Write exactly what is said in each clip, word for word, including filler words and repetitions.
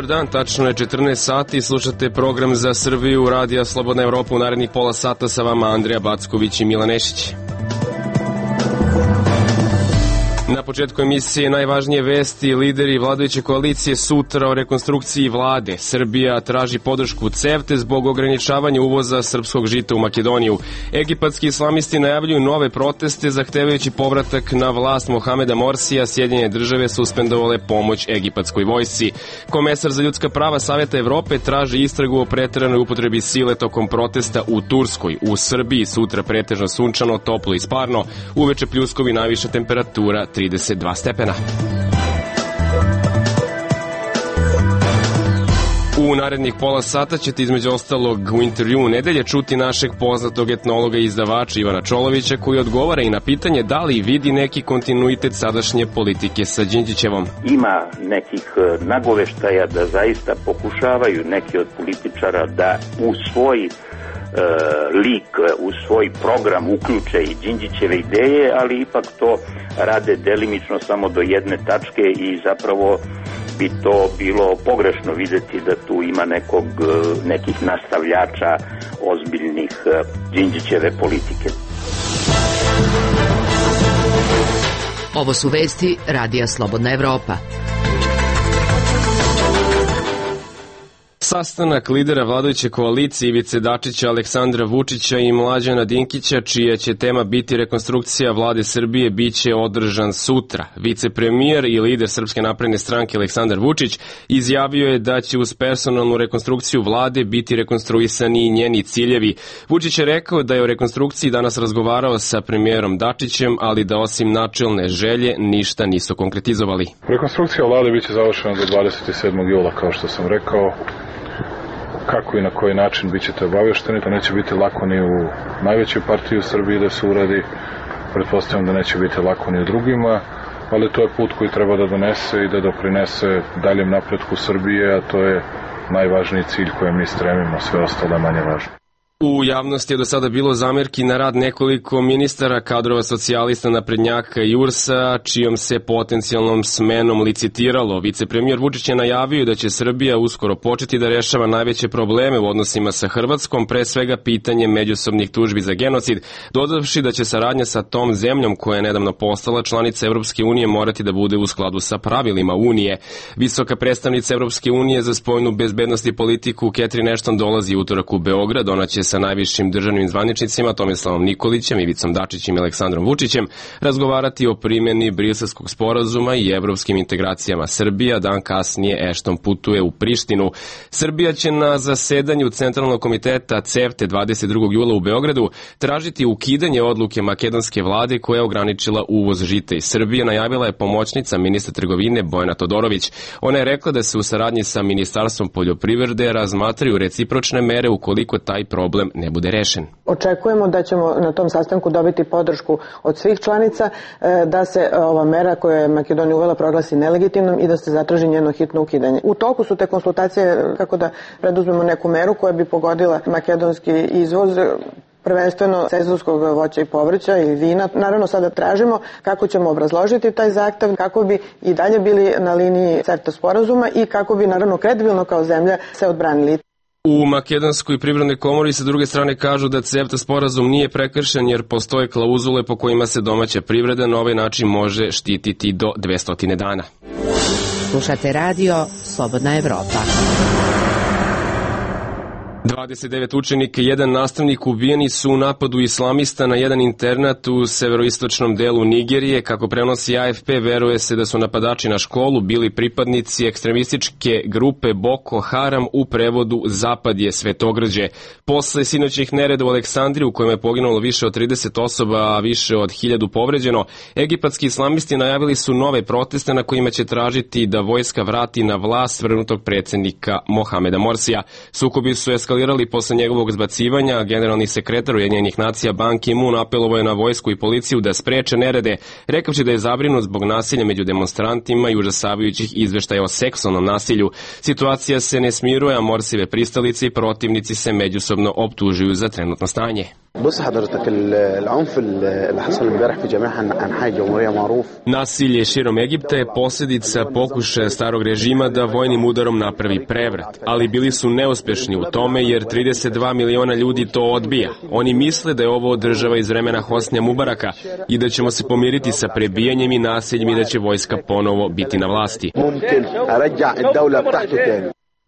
dan, tačno je četrnaest sati i slušate program za Srbiju Radija Slobodna Evropa. U narednih pola sata sa vama Andrija Backović i Milan Nešić. Na početku emisije najvažnije vesti. Lideri vladajuće koalicije sutra o rekonstrukciji vlade. Srbija traži podršku CEFTE zbog ograničavanja uvoza srpskog žita u Makedoniju. Egipatski islamisti najavljuju nove proteste zahtevajući povratak na vlast Mohameda Morsija. Sjedinjene države suspendovale pomoć egipatskoj vojsci. Komesar za ljudska prava Saveta Evrope traži istragu o preteranoj upotrebi sile tokom protesta u Turskoj. U Srbiji sutra pretežno sunčano, toplo i sparno. Uveče pljuskovi, najviša temperatura trideset dva stepena. U narednih pola sata ćete između ostalog u intervjuu nedelje čuti našeg poznatog etnologa i izdavača Ivana Čolovića, koji odgovara i na pitanje da li vidi neki kontinuitet sadašnje politike sa Đinđićevom. Ima nekih nagoveštaja da zaista pokušavaju neki od političara da u svoj E, lik, u svoj program uključe i Đinđićeve ideje, ali ipak to rade delimično samo do jedne tačke i zapravo bi to bilo pogrešno videti da tu ima nekog, nekih nastavljača ozbiljnih Đinđićeve politike. Ovo su vesti Radija Slobodna Evropa. Sastanak lidera vladajuće koalicije Ivice Dačića, Aleksandra Vučića i Mlađana Dinkića, čija će tema biti rekonstrukcija vlade Srbije, biće održan sutra. Vicepremijer i lider Srpske napredne stranke Aleksandar Vučić izjavio je da će uz personalnu rekonstrukciju vlade biti rekonstruisani i njeni ciljevi. Vučić je rekao da je o rekonstrukciji danas razgovarao sa premijerom Dačićem, ali da osim načelne želje ništa nisu konkretizovali. Rekonstrukcija vlade biće završena do dvadeset sedmog jula, kao što sam rekao. Kako i na koji način bit ćete obavešteni, to neće biti lako ni u najvećoj partiji u Srbiji da se uradi, pretpostavljam da neće biti lako ni u drugima, ali to je put koji treba da donese i da doprinese daljem napretku Srbije, a to je najvažniji cilj kojem mi stremimo, sve ostalo manje važno. U javnosti je do sada bilo zamerki na rad nekoliko ministara, kadrova socijalista, naprednjaka i U R S-a, čijom se potencijalnom smenom licitiralo. Vicepremijer Vučić je najavio da će Srbija uskoro početi da rešava najveće probleme u odnosima sa Hrvatskom, pre svega pitanje međusobnih tužbi za genocid, dodavši da će saradnja sa tom zemljom koja je nedavno postala članica Evropske unije morati da bude u skladu sa pravilima Unije. Visoka predstavnica Evropske unije za spoljnu bezbednost i politiku Catherine Ashton dolazi utorak u Beograd. Ona će sa najvišim državnim zvaničnicima Tomislavom Nikolićem, Ivicom Dačićem i Aleksandrom Vučićem razgovarati o primjeni Briselskog sporazuma i evropskim integracijama. Srbija dan kasnije Ashton putuje u Prištinu. Srbija će na zasedanju Centralnog komiteta CEFTE dvadeset drugog jula u Beogradu tražiti ukidanje odluke makedonske vlade koja je ograničila uvoz žita iz Srbije, najavila je pomoćnica ministra trgovine Bojana Todorović. Ona je rekla da se u saradnji sa Ministarstvom poljoprivrede razmatraju recipročne mere ukoliko taj problem ne bude rešen. Očekujemo da ćemo na tom sastanku dobiti podršku od svih članica da se ova mera koja je Makedonija uvela proglasi nelegitimnom i da se zatraži njeno hitno ukidanje. U toku su te konsultacije kako da preduzmemo neku meru koja bi pogodila makedonski izvoz, prvenstveno sezonskog voća i povrća i vina. Naravno sada tražimo kako ćemo obrazložiti taj zahtev, kako bi i dalje bili na liniji CEFTA sporazuma i kako bi naravno kredibilno kao zemlja se odbranili. U Makedonskoj privrednoj komori sa druge strane kažu da CEFTA sporazum nije prekršen jer postoje klauzule po kojima se domaća privreda na ovaj način može štititi do dvesta dana. Slušate radio Slobodna Evropa. dvadeset devet učenika i jedan nastavnik ubijeni su u napadu islamista na jedan internat u severoistočnom delu Nigerije. Kako prenosi A F P, veruje se da su napadači na školu bili pripadnici ekstremističke grupe Boko Haram, u prevodu Zapad je Svetogrđe. Posle sinoćnih nereda u Aleksandriji, u kojem je poginulo više od trideset osoba, a više od hiljadu povređeno, egipatski islamisti najavili su nove proteste na kojima će tražiti da vojska vrati na vlast svrgnutog predsjednika Mohameda Morsija. Sukobi su eskalirali eskalirali posle njegovog zbacivanja. Generalni sekretar Ujedinjenih nacija Ban Ki-moon apelovao je na vojsku i policiju da spreče nerede, rekavši da je zabrinut zbog nasilja među demonstrantima i užasavajućih izveštaja o seksualnom nasilju. Situacija se ne smiruje, a Morsive pristalice i protivnici se međusobno optužuju za trenutno stanje. Nasilje širom Egipta je posljedica pokušaja starog režima da vojnim udarom napravi prevrat, ali bili su neuspešni u tome jer trideset dva miliona ljudi to odbija. Oni misle da je ovo država iz vremena Hosnija Mubaraka i da ćemo se pomiriti sa prebijanjem i nasiljem i da će vojska ponovo biti na vlasti.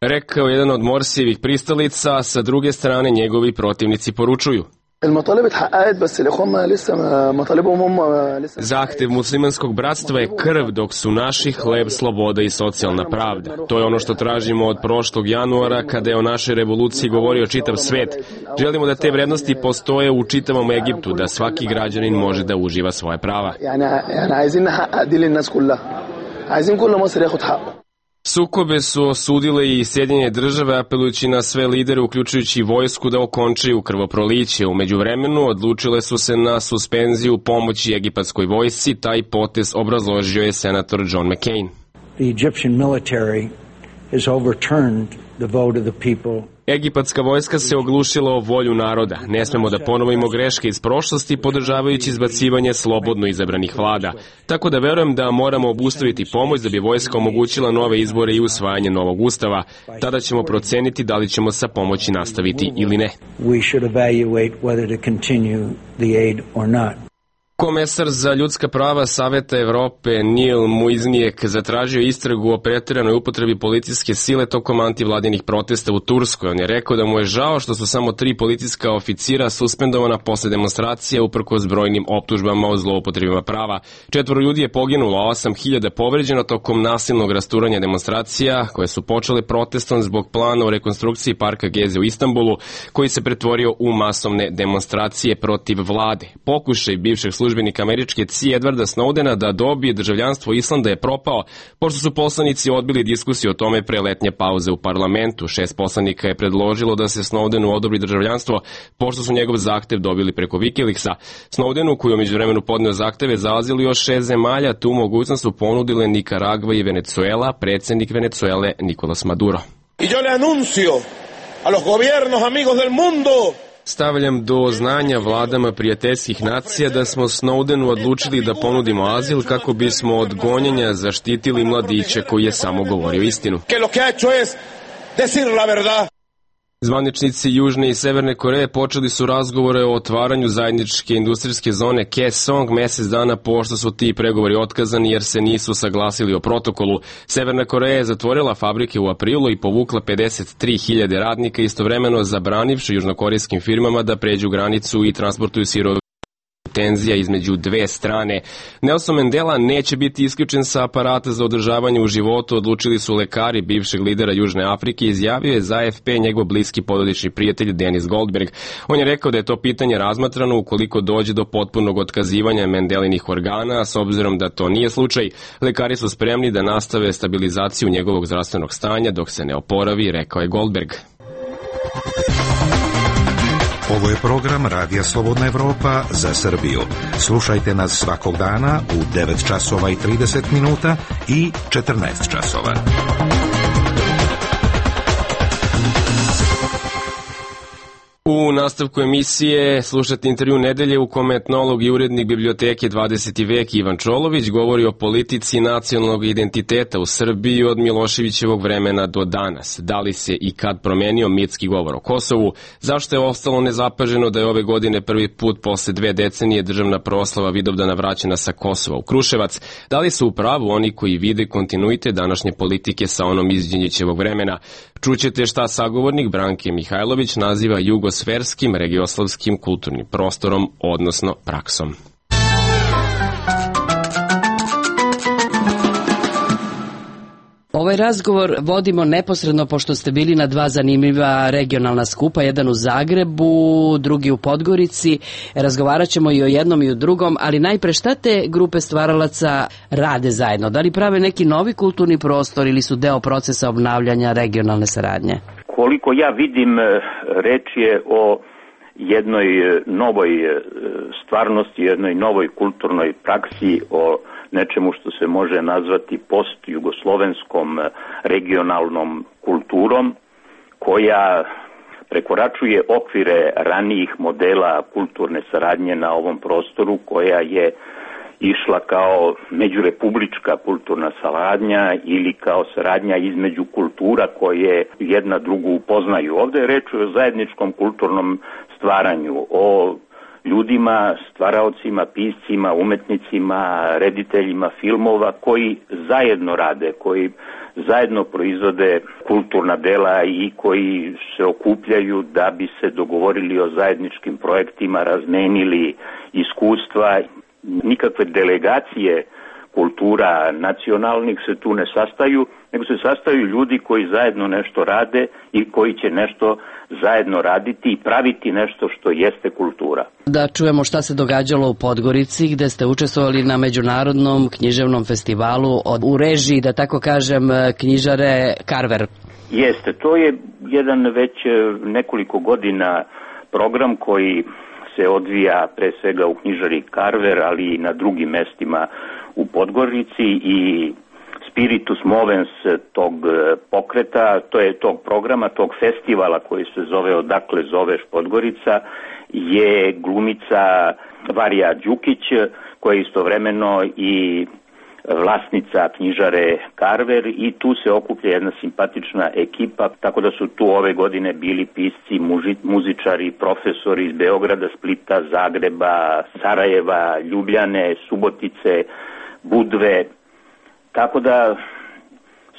Rekao jedan od Morsijevih pristalica, sa druge strane njegovi protivnici poručuju: zahtev muslimanskog bratstva je krv, dok su naši hleb, sloboda i socijalna pravda. To je ono što tražimo od prošlog januara, kada je o našoj revoluciji govorio čitav svet. Želimo da te vrednosti postoje u čitavom Egiptu, da svaki građanin može da uživa svoje prava. Sukobe su osudile i Sjedinjene države, apelujući na sve lidere, uključujući vojsku, da okončaju krvoproliće. U međuvremenu odlučile su se na suspenziju pomoći egipatskoj vojsci. Taj potez obrazložio je senator John McCain. The Egyptian military has overturned the vote of the people. Egipatska vojska se oglušila o volju naroda. Ne smemo da ponovimo greške iz prošlosti podržavajući izbacivanje slobodno izabranih vlada. Tako da verujem da moramo obustaviti pomoć da bi vojska omogućila nove izbore i usvajanje novog ustava. Tada ćemo proceniti da li ćemo sa pomoći nastaviti ili ne. We should evaluate whether to continue the aid or not. Komesar za ljudska prava Saveta Evrope Neil Muižniek zatražio istragu o pretiranoj upotrebi policijske sile tokom antivladinih protesta u Turskoj. On je rekao da mu je žao što su samo tri policijska oficira suspendovana posle demonstracije uprkos brojnim optužbama o zloupotrebima prava. Četvoro ljudi je poginulo, a osam hiljada povređeno tokom nasilnog rasturanja demonstracija koje su počele protestom zbog plana o rekonstrukciji parka Geze u Istanbulu, koji se pretvorio u masovne demonstracije protiv vlade. Pokušaj bivšeg službenika službenik američke C I A Edwarda Snowdena da dobije državljanstvo Islanda je propao, pošto su poslanici odbili diskusiju o tome pre letnje pauze u parlamentu. Šest poslanika je predložilo da se Snowdenu odobri državljanstvo, pošto su njegov zahtev dobili preko Wikileaksa. Snowdenu, koji je umeđu vremenu podneo zahteve za azil još šest zemalja, tu mogućnost su ponudile Nikaragva i Venezuela, predsjednik Venezuele Nicolas Maduro. I yo le anuncio a los gobiernos amigos del mundo. Stavljam do znanja vladama prijateljskih nacija da smo Snowdenu odlučili da ponudimo azil kako bismo od gonjenja zaštitili mladića koji je samo govorio istinu. Zvaničnici Južne i Severne Koreje počeli su razgovore o otvaranju zajedničke industrijske zone Kaesong mesec dana pošto su ti pregovori otkazani jer se nisu saglasili o protokolu. Severna Koreja je zatvorila fabrike u aprilu i povukla pedeset tri hiljade radnika, istovremeno zabranivši južnokorejskim firmama da pređu granicu i transportuju sirove. Tenzija između dve strane. Nelson Mandela neće biti isključen sa aparata za održavanje u životu, odlučili su lekari bivšeg lidera Južne Afrike, izjavio je za A F P njegov bliski porodični prijatelj Dennis Goldberg. On je rekao da je to pitanje razmatrano ukoliko dođe do potpunog otkazivanja Mandelinih organa, a s obzirom da to nije slučaj, lekari su spremni da nastave stabilizaciju njegovog zdravstvenog stanja dok se ne oporavi, rekao je Goldberg. Ovo je program Radija Slobodna Evropa za Srbiju. Slušajte nas svakog dana u devet časova i trideset minuta i četrnaest časova. U nastavku emisije slušate intervju nedelje u kome etnolog i urednik biblioteke dvadeseti vek Ivan Čolović govori o politici nacionalnog identiteta u Srbiji od Miloševićevog vremena do danas. Da li se i kad promenio mitski govor o Kosovu? Zašto je ostalo nezapaženo da je ove godine prvi put posle dve decenije državna proslava Vidovdana vraćena sa Kosova u Kruševac? Da li su u pravu oni koji vide kontinuitet današnje politike sa onom iz Đinđićevog vremena? Čućete šta sagovornik Branke Mihajlović naziva jugosferskim regioslavskim kulturnim prostorom, odnosno praksom. Ovaj razgovor vodimo neposredno pošto ste bili na dva zanimljiva regionalna skupa, jedan u Zagrebu, drugi u Podgorici. Razgovarat ćemo i o jednom i o drugom, ali najpre šta te grupe stvaralaca rade zajedno? Da li prave neki novi kulturni prostor ili su deo procesa obnavljanja regionalne saradnje? Koliko ja vidim, reč je o jednoj novoj stvarnosti, jednoj novoj kulturnoj praksi, o nečemu što se može nazvati post-jugoslovenskom regionalnom kulturom, koja prekoračuje okvire ranijih modela kulturne saradnje na ovom prostoru, koja je išla kao međurepublička kulturna saradnja ili kao saradnja između kultura koje jedna drugu upoznaju. Ovde je reč o zajedničkom kulturnom stvaranju, o ljudima, stvaraocima, piscima, umetnicima, rediteljima filmova koji zajedno rade, koji zajedno proizvode kulturna dela i koji se okupljaju da bi se dogovorili o zajedničkim projektima, razmenili iskustva. Nikakve delegacije kultura nacionalnih se tu ne sastaju, nego se sastaju ljudi koji zajedno nešto rade i koji će nešto zajedno raditi i praviti nešto što jeste kultura. Da čujemo šta se događalo u Podgorici, gde ste učestvovali na međunarodnom književnom festivalu od, u režiji, da tako kažem, knjižare Carver. Jeste, to je jedan već nekoliko godina program koji se odvija pre svega u knjižari Carver, ali i na drugim mestima u Podgorici, i spiritus movens tog pokreta, to je tog programa, tog festivala koji se zove Odakle zoveš Podgorica, je glumica Varija Đukić, koja je istovremeno i vlasnica knjižare Carver, i tu se okuplja jedna simpatična ekipa, tako da su tu ove godine bili pisci, muži, muzičari, profesori iz Beograda, Splita, Zagreba, Sarajeva, Ljubljane, Subotice, Budve, tako da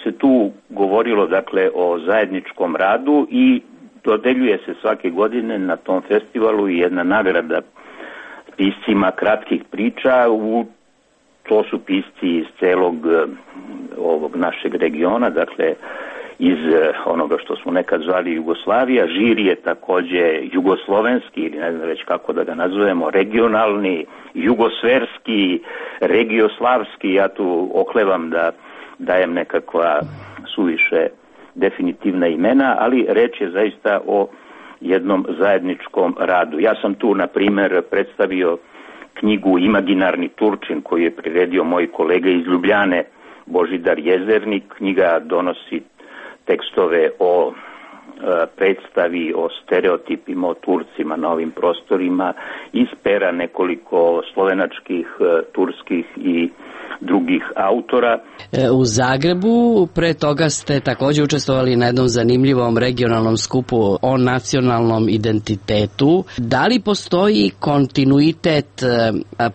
se tu govorilo dakle o zajedničkom radu i dodeljuje se svake godine na tom festivalu i jedna nagrada piscima kratkih priča. U to su pisci iz celog ovog našeg regiona, dakle iz onoga što smo nekad zvali Jugoslavija. Žiri je takođe jugoslovenski, ili ne znam već kako da ga nazovemo, regionalni, jugosverski, regioslavski. Ja tu oklevam da dajem nekakva suviše definitivna imena, ali reč je zaista o jednom zajedničkom radu. Ja sam tu, na primer, predstavio knjigu Imaginarni Turčin, koju je priredio moj kolega iz Ljubljane, Božidar Jezernik. Knjiga donosi tekstove o e, predstavi, o stereotipima, o Turcima na ovim prostorima, iz pera nekoliko slovenačkih, e, turskih i drugih autora. U Zagrebu pre toga ste takođe učestvovali na jednom zanimljivom regionalnom skupu o nacionalnom identitetu. Da li postoji kontinuitet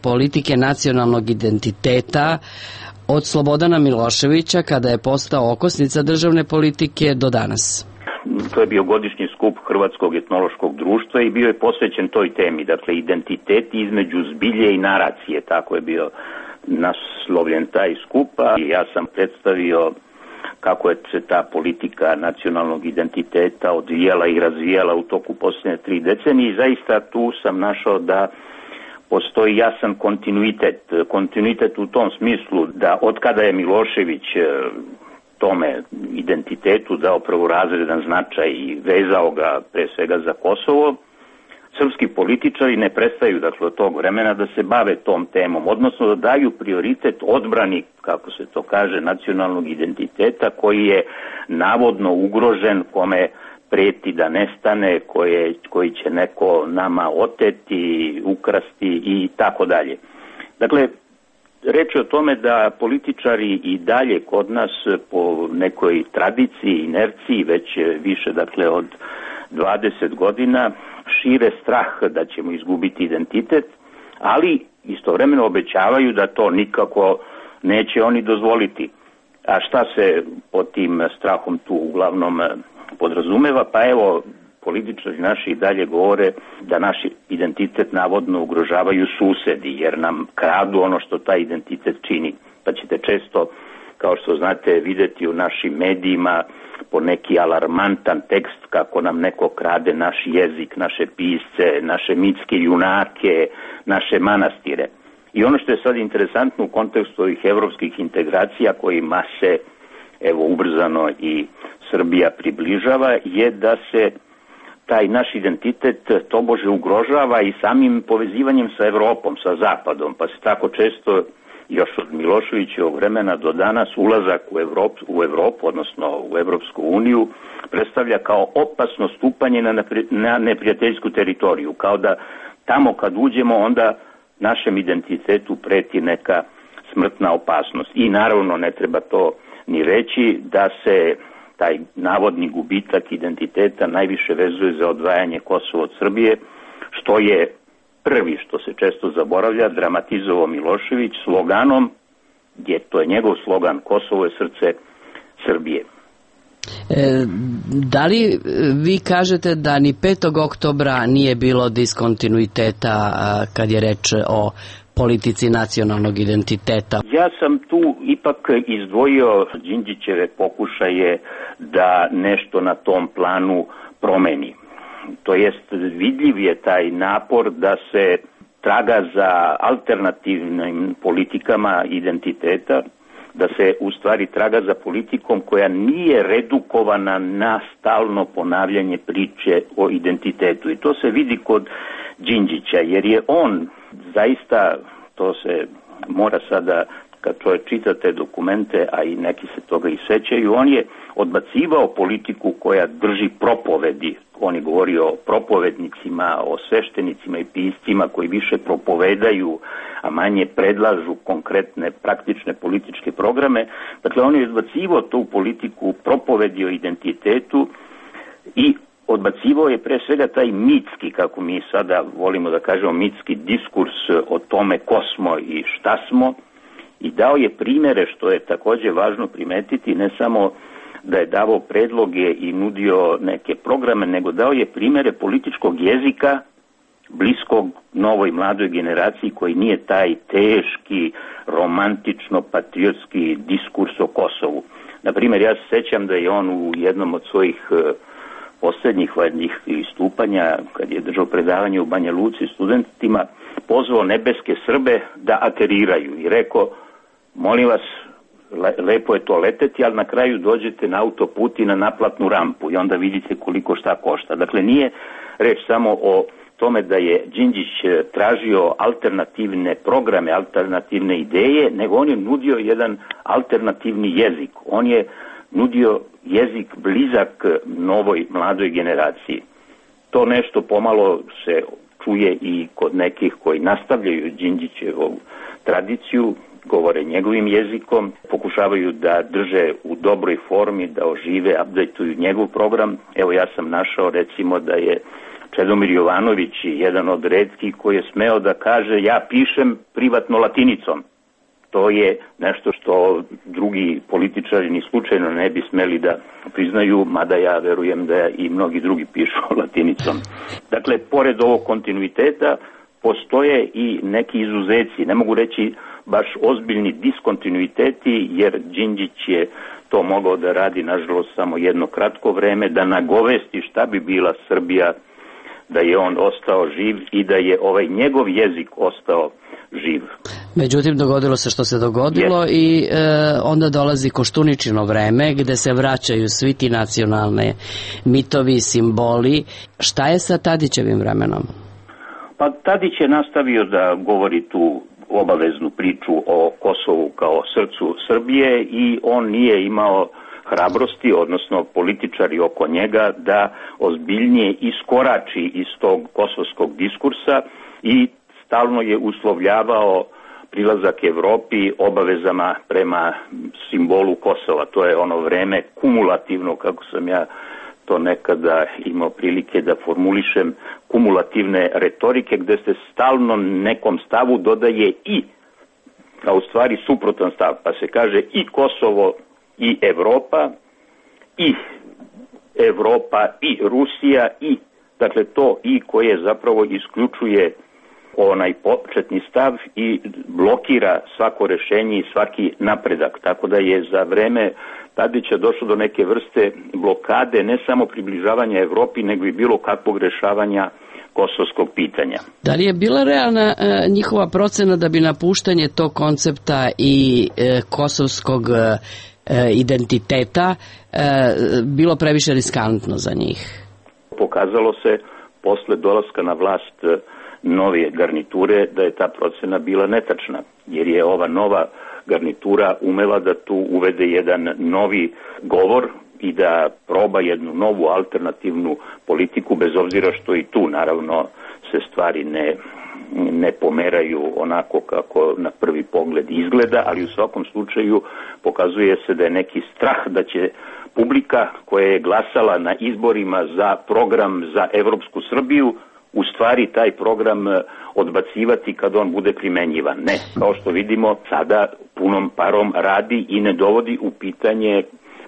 politike nacionalnog identiteta od Slobodana Miloševića, kada je postao okosnica državne politike, do danas? To je bio godišnji skup Hrvatskog etnološkog društva i bio je posvećen toj temi, dakle identitet između zbilje i naracije, tako je bio naslovljen taj skupa. I ja sam predstavio kako je se ta politika nacionalnog identiteta odvijala i razvijala u toku posljednje tri decenije, i zaista tu sam našao da postoji jasan kontinuitet. Kontinuitet u tom smislu da od kada je Milošević tome identitetu dao prvorazredan značaj i vezao ga pre svega za Kosovo, srpski političari ne prestaju, dakle, od tog vremena da se bave tom temom, odnosno da daju prioritet odbrani, kako se to kaže, nacionalnog identiteta koji je navodno ugrožen, kome preti da nestane, koje, koji će neko nama oteti, ukrasti i tako dalje. Dakle, reč je o tome da političari i dalje kod nas po nekoj tradiciji, inerciji, već više, dakle, od dvadeset godina šire strah da ćemo izgubiti identitet, ali istovremeno obećavaju da to nikako neće oni dozvoliti. A šta se pod tim strahom tu uglavnom podrazumeva? Pa evo, političari naši dalje govore da naš identitet navodno ugrožavaju susedi, jer nam kradu ono što taj identitet čini. Pa ćete često, kao što znate, videti u našim medijima po neki alarmantan tekst kako nam neko krade naš jezik, naše pisce, naše mitske junake, naše manastire. I ono što je sad interesantno u kontekstu ovih evropskih integracija kojima se evo ubrzano i Srbija približava, je da se taj naš identitet tobože ugrožava i samim povezivanjem sa Evropom, sa Zapadom, pa se tako često još od Miloševićevog vremena do danas ulazak u Evropu, u Evropu, odnosno u Evropsku uniju, predstavlja kao opasno stupanje na, na neprijateljsku teritoriju, kao da tamo kad uđemo onda našem identitetu preti neka smrtna opasnost. I naravno ne treba to ni reći da se taj navodni gubitak identiteta najviše vezuje za odvajanje Kosova od Srbije, što je prvi, što se često zaboravlja, dramatizovao Milošević sloganom, gdje to je njegov slogan, Kosovo je srce Srbije. E, da li vi kažete da ni petog oktobra nije bilo diskontinuiteta kad je reč o politici nacionalnog identiteta? Ja sam tu ipak izdvojio Đinđićeve pokušaje da nešto na tom planu promeni. To jest, vidljiv je taj napor da se traga za alternativnim politikama identiteta, da se u stvari traga za politikom koja nije redukovana na stalno ponavljanje priče o identitetu. I to se vidi kod Đinđića, jer je on zaista, to se mora sada, kad čovjek čita te dokumente, a i neki se toga i sećaju, on je odbacivao politiku koja drži propovedi. On je govorio o propovednicima, o sveštenicima i piscima koji više propovedaju, a manje predlažu konkretne, praktične političke programe. Dakle, on je odbacivao tu politiku propovedi o identitetu i odbacivao je pre svega taj mitski, kako mi sada volimo da kažemo, mitski diskurs o tome ko smo i šta smo, i dao je primere, što je takođe važno primetiti, ne samo da je davao predloge i nudio neke programe, nego dao je primere političkog jezika bliskog novoj mladoj generaciji koji nije taj teški, romantično-patriotski diskurs o Kosovu. Naprimjer, ja se sećam da je on u jednom od svojih poslednjih valjnih istupanja, kad je držao predavanje u Banja Luci studentima, pozvao nebeske Srbe da ateriraju i rekao, molim vas, lepo je to leteti, ali na kraju dođete na autoput i na naplatnu rampu i onda vidite koliko šta košta. Dakle, nije reč samo o tome da je Đinđić tražio alternativne programe, alternativne ideje, nego on je nudio jedan alternativni jezik. On je nudio jezik blizak novoj mladoj generaciji. To nešto pomalo se čuje i kod nekih koji nastavljaju Đinđićevu tradiciju, govore njegovim jezikom, pokušavaju da drže u dobroj formi, da ožive, updateuju njegov program. Evo, ja sam našao recimo da je Čedomir Jovanović jedan od retkih koji je smeo da kaže ja pišem privatno latinicom. To je nešto što drugi političari ni slučajno ne bi smeli da priznaju, mada ja verujem da i mnogi drugi pišu latinicom. Dakle, pored ovog kontinuiteta postoje i neki izuzeci, ne mogu reći baš ozbiljni diskontinuiteti, jer Đinđić je to mogao da radi, nažalost, samo jedno kratko vreme, da nagovesti šta bi bila Srbija da je on ostao živ i da je ovaj njegov jezik ostao živ. Međutim, dogodilo se što se dogodilo yes. i e, onda dolazi Koštuničino vreme gde se vraćaju svi ti nacionalne mitovi, simboli. Šta je sa Tadićevim vremenom? Pa Tadić je nastavio da govori tu obaveznu priču o Kosovu kao srcu Srbije i on nije imao hrabrosti, odnosno političari oko njega, da ozbiljnije iskorači iz tog kosovskog diskursa i stalno je uslovljavao prilazak Evropi obavezama prema simbolu Kosova. To je ono vreme kumulativno, kako sam ja to nekada imao prilike da formulišem, kumulativne retorike gde se stalno nekom stavu dodaje i, a u stvari suprotan stav, pa se kaže i Kosovo i Evropa, i Evropa i Rusija, i, dakle to i koje zapravo isključuje onaj početni stav i blokira svako rešenje i svaki napredak. Tako da je za vreme Tadića došlo do neke vrste blokade, ne samo približavanja Evropi, nego i bilo kakvog rešavanja kosovskog pitanja. Da li je bila realna e, njihova procena da bi napuštanje tog koncepta i e, kosovskog e, identiteta e, bilo previše riskantno za njih? pokazalo se posle dolaska na vlast nove garniture da je ta procena bila netačna, jer je ova nova garnitura umela da tu uvede jedan novi govor i da proba jednu novu alternativnu politiku, bez obzira što i tu naravno se stvari ne, ne pomeraju onako kako na prvi pogled izgleda, ali u svakom slučaju pokazuje se da je neki strah da će publika koja je glasala na izborima za program za Evropsku Srbiju u stvari taj program odbacivati kad on bude primenjivan. Ne, kao što vidimo, sada punom parom radi i ne dovodi u pitanje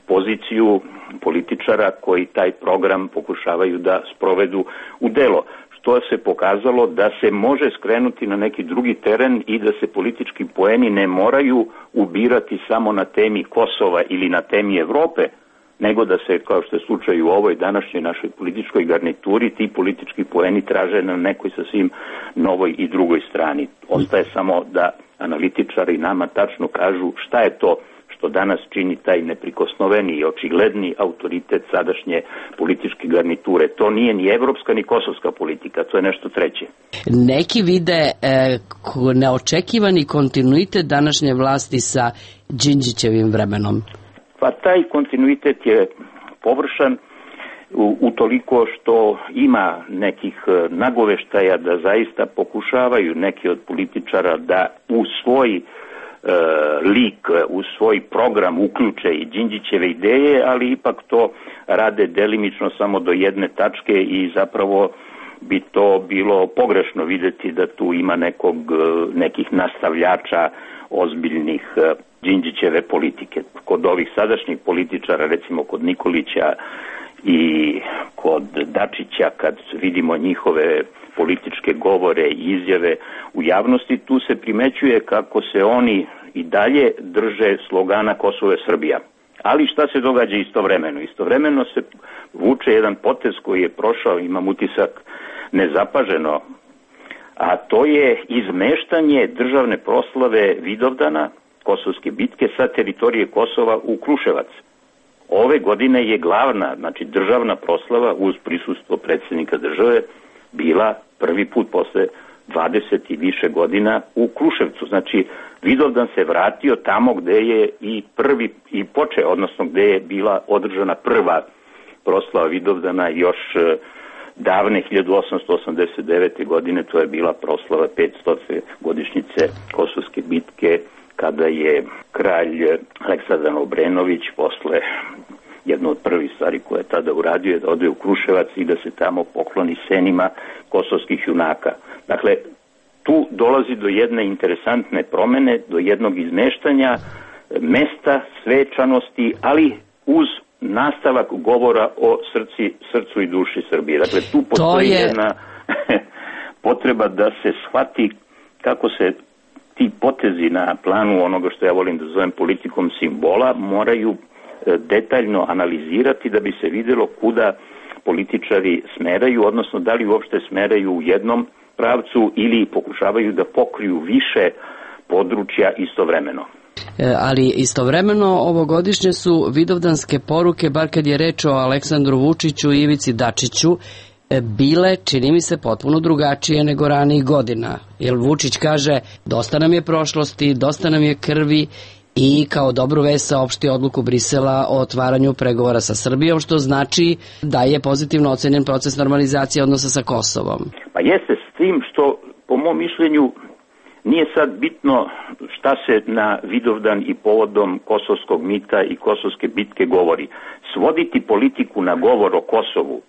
poziciju političara koji taj program pokušavaju da sprovedu u delo. Što se pokazalo da se može skrenuti na neki drugi teren i da se politički poeni ne moraju ubirati samo na temi Kosova ili na temi Evrope, nego da se, kao što je slučaj u ovoj današnjoj našoj političkoj garnituri, ti politički poeni traže na nekoj sasvim novoj i drugoj strani. Ostaje samo da analitičari nama tačno kažu šta je to što danas čini taj neprikosnoveni i očigledni autoritet sadašnje političke garniture. To nije ni evropska ni kosovska politika, to je nešto treće. Neki vide e, neočekivani kontinuitet današnje vlasti sa Đinđićevim vremenom. Pa taj kontinuitet je površan u, u toliko što ima nekih nagoveštaja da zaista pokušavaju neki od političara da u svoj e, lik, u svoj program uključe i Đinđićeve ideje, ali ipak to rade delimično samo do jedne tačke i zapravo bi to bilo pogrešno videti da tu ima nekog, nekih nastavljača ozbiljnih Đinđićeve politike. Kod ovih sadašnjih političara, recimo kod Nikolića i kod Dačića, kad vidimo njihove političke govore i izjave u javnosti, tu se primećuje kako se oni i dalje drže slogana Kosovo je Srbija. Ali šta se događa istovremeno? Istovremeno se vuče jedan potez koji je prošao, imam utisak, nezapaženo, a to je izmeštanje državne proslave Vidovdana, Kosovske bitke, sa teritorije Kosova u Kruševac. Ove godine je glavna, znači državna proslava uz prisustvo predsjednika države bila prvi put posle dvadeset i više godina u Kruševcu. Znači Vidovdan se vratio tamo gde je i prvi i počeo, odnosno gde je bila održana prva proslava Vidovdana još davne hiljadu osamsto osamdeset devete. godine, to je bila proslava petstote godišnjice Kosovske bitke, kada je kralj Aleksandar Obrenović posle jedno od prvih stvari koje je tada uradio je da ode u Kruševac i da se tamo pokloni senima kosovskih junaka. Dakle, tu dolazi do jedne interesantne promene, do jednog izmeštanja mesta, svečanosti, ali uz nastavak govora o srci, srcu i duši Srbije. Dakle, tu postoji je... jedna potreba da se shvati kako se ti potezi na planu onoga što ja volim da zovem politikom simbola moraju detaljno analizirati da bi se vidjelo kuda političari smeraju, odnosno da li uopšte smeraju u jednom pravcu ili pokušavaju da pokriju više područja istovremeno. Ali istovremeno ovogodišnje su vidovdanske poruke, bar kad je reč o Aleksandru Vučiću i Ivici Dačiću, bile, čini mi se, potpuno drugačije nego ranijih godina. Jer Vučić kaže, dosta nam je prošlosti, dosta nam je krvi i kao dobru vest saopšti odluku Brisela o otvaranju pregovora sa Srbijom, što znači da je pozitivno ocenjen proces normalizacije odnosa sa Kosovom. Pa jeste, s tim što, po mom mišljenju, nije sad bitno šta se na Vidovdan i povodom kosovskog mita i kosovske bitke govori. Svoditi politiku na govor o Kosovu,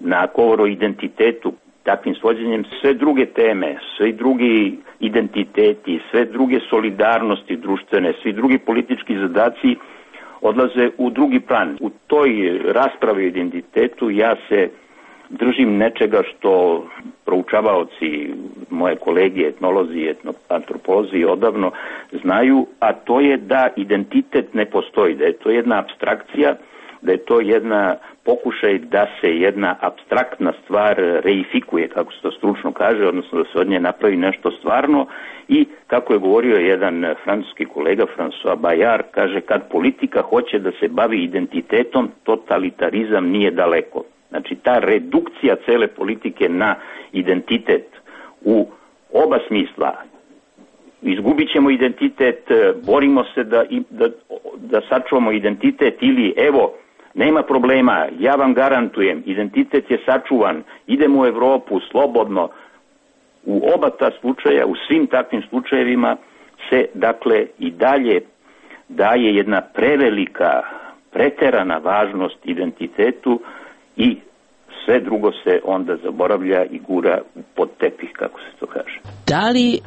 na govor o identitetu, takvim svođenjem sve druge teme, sve drugi identiteti, sve druge solidarnosti društvene, svi drugi politički zadaci odlaze u drugi plan. U toj raspravi o identitetu ja se držim nečega što proučavaoci, moje kolege, etnolozi i antropolozi odavno znaju, a to je da identitet ne postoji, da je to jedna apstrakcija, da je to jedna pokušaj da se jedna apstraktna stvar reifikuje, kako se to stručno kaže, odnosno da se od nje napravi nešto stvarno i, kako je govorio jedan francuski kolega, François Bayard, kaže kad politika hoće da se bavi identitetom, totalitarizam nije daleko. Znači ta redukcija cele politike na identitet u oba smisla. Izgubit ćemo identitet, borimo se da, da, da sačuvamo identitet ili evo, nema problema, ja vam garantujem, identitet je sačuvan, idemo u Evropu slobodno. U oba ta slučaja, u svim takvim slučajevima se dakle i dalje daje jedna prevelika, preterana važnost identitetu i sve drugo se onda zaboravlja i gura pod tepih, kako se to kaže. Da li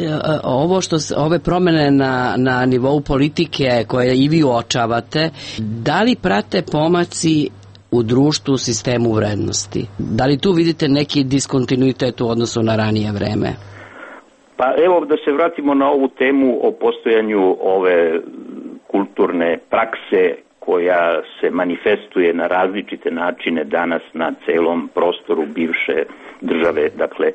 ovo što ove promene na, na nivou politike koje i vi uočavate, da li prate pomaci u društvu, u sistemu vrednosti? Da li tu vidite neki diskontinuitet u odnosu na ranije vreme? Pa evo da se vratimo na ovu temu o postojanju ove kulturne prakse koja se manifestuje na različite načine danas na celom prostoru bivše države, dakle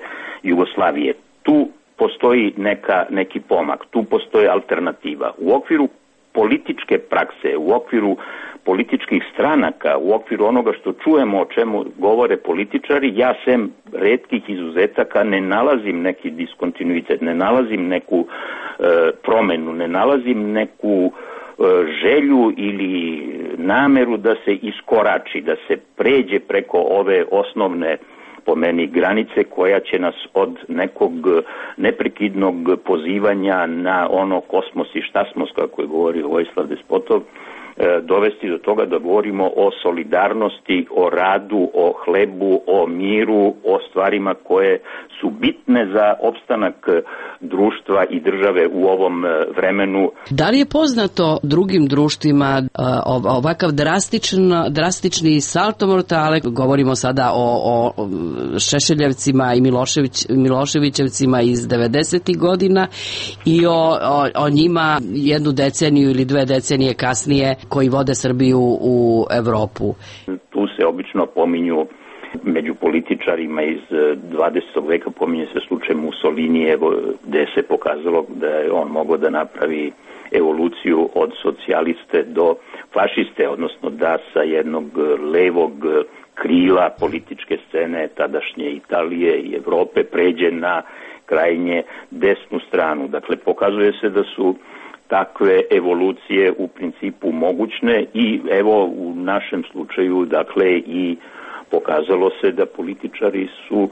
Jugoslavije. Tu postoji neka, neki pomak, tu postoji alternativa. U okviru političke prakse, u okviru političkih stranaka, u okviru onoga što čujemo o čemu govore političari, ja sem retkih izuzetaka ne nalazim neki diskontinuitet, ne nalazim neku e, promenu, ne nalazim neku želju ili nameru da se iskorači, da se pređe preko ove osnovne po meni granice koja će nas od nekog neprekidnog pozivanja na ono kosmos i šta smo, kako je govorio Vojislav Despotov, dovesti do toga da govorimo o solidarnosti, o radu, o hlebu, o miru, o stvarima koje su bitne za opstanak društva i države u ovom vremenu. Da li je poznato drugim društvima ovakav drastičan, drastični salto mortale, govorimo sada o, o Šešeljevcima i Milošević, Miloševićevcima iz devedesetih godina i o, o, o njima jednu deceniju ili dve decenije kasnije koji vode Srbiju u Evropu? Tu se obično pominju među političarima iz dvadesetog veka, pominje se slučaj Mussolinijevo, gde se pokazalo da je on mogao da napravi evoluciju od socijaliste do fašiste, odnosno da sa jednog levog krila političke scene tadašnje Italije i Evrope pređe na krajnje desnu stranu. Dakle, pokazuje se da su takve evolucije u principu mogućne i evo u našem slučaju dakle i pokazalo se da političari su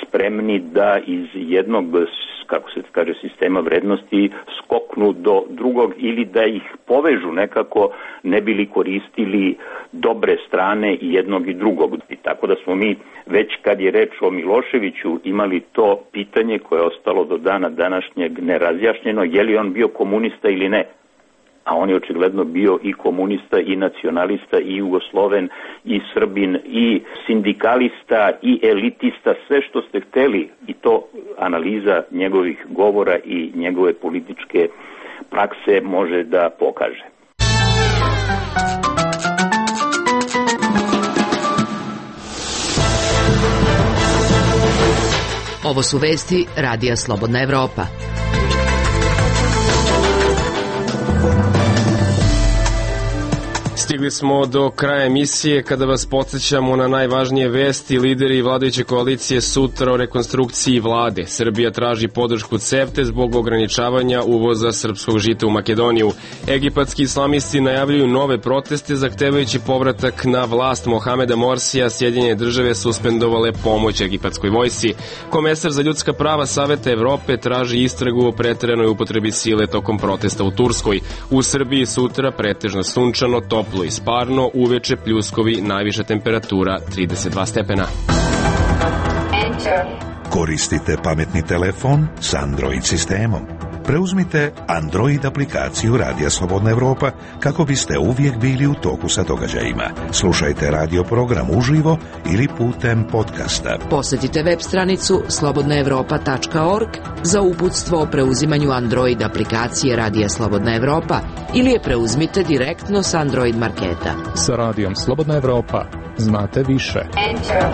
spremni da iz jednog, kako se kaže, sistema vrednosti skoknu do drugog ili da ih povežu nekako, ne bili koristili dobre strane i jednog i drugog. I tako da smo mi već kad je reč o Miloševiću imali to pitanje koje je ostalo do dana današnjeg nerazjašnjeno, je li on bio komunista ili ne. A on je očigledno bio i komunista, i nacionalista, i Jugosloven, i Srbin, i sindikalista, i elitista, sve što ste hteli, i to analiza njegovih govora i njegove političke prakse može da pokaže. Ovo su vesti Radija Slobodna Evropa. Stigli smo do kraja emisije kada vas podsjećamo na najvažnije vesti. Lideri vladajuće koalicije sutra o rekonstrukciji vlade. Srbija traži podršku CEFTE zbog ograničavanja uvoza srpskog žita u Makedoniju. Egipatski islamisti najavljuju nove proteste zahtevajući povratak na vlast Mohameda Morsija. Sjedinjene države suspendovale pomoć egipatskoj vojsci. Komesar za ljudska prava Saveta Evrope traži istragu o preteranoj upotrebi sile tokom protesta u Turskoj. U Srbiji sutra pretežno sunčano, toplo i sparno, uveče pljuskovi, najviša temperatura trideset dva stepena. Koristite pametni telefon s Android sistemom. Preuzmite Android aplikaciju Radija Slobodna Evropa kako biste uvijek bili u toku sa događajima. Slušajte radio program uživo ili putem podcasta. Posjetite web stranicu slobodna evropa tačka org za uputstvo o preuzimanju Android aplikacije Radija Slobodna Evropa ili je preuzmite direktno s Android marketa. Sa Radijom Slobodna Evropa znate više. Enter.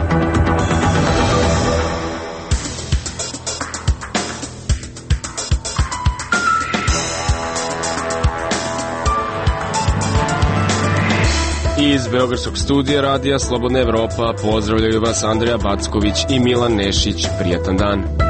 I Iz Beogradskog studija radija Slobodna Evropa pozdravljaju vas Andreja Backović i Milan Nešić. Prijatan dan.